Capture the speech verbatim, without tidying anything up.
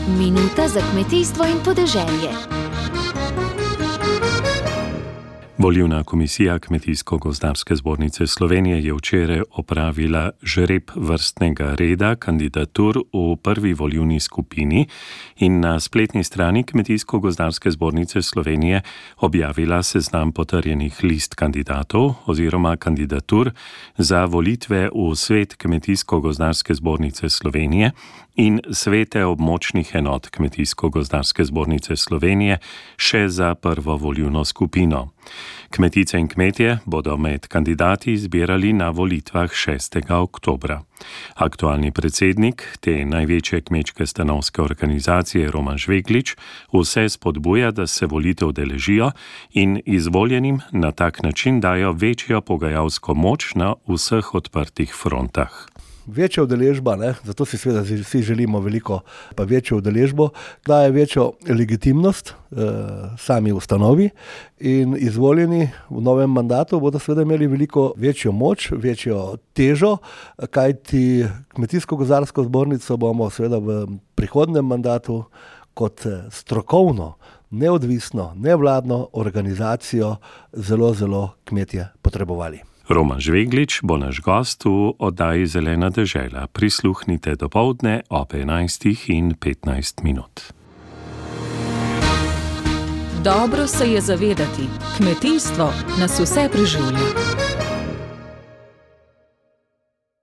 Minuta za kmetijstvo in podeželje. Volilna komisija Kmetijsko-gozdarske zbornice Slovenije je včeraj opravila žreb vrstnega reda kandidatur v prvi volilni skupini in na spletni strani Kmetijsko-gozdarske zbornice Slovenije objavila seznam potrjenih list kandidatov oziroma kandidatur za volitve v svet Kmetijsko-gozdarske zbornice Slovenije in svete območnih enot Kmetijsko-gozdarske zbornice Slovenije še za prvo volilno skupino. Kmetice in kmetje bodo med kandidati izbirali na volitvah šestega oktobra. Aktualni predsednik te največje kmečke stanovske organizacije Roman Žveglič vse spodbuja, da se volitev udeležijo in izvoljenim na tak način dajo večjo pogajalsko moč na vseh odprtih frontah. Večja udeležba, ne, zato si seveda vsi želimo veliko, pa večjo udeležbo, daje večjo legitimnost eh, sami ustanovi in izvoljeni v novem mandatu bodo seveda imeli veliko večjo moč, večjo težo, kajti Kmetijsko-gozdarsko zbornico bomo seveda v prihodnem mandatu kot strokovno, neodvisno, nevladno organizacijo zelo, zelo kmetje potrebovali. Roman Žveglič bo naš gost v oddaji Zelena dežela. Prisluhnite dopoldne ob enajstih in petnajst minut. Dobro se je zavedati, kmetijstvo nas vse preživlja.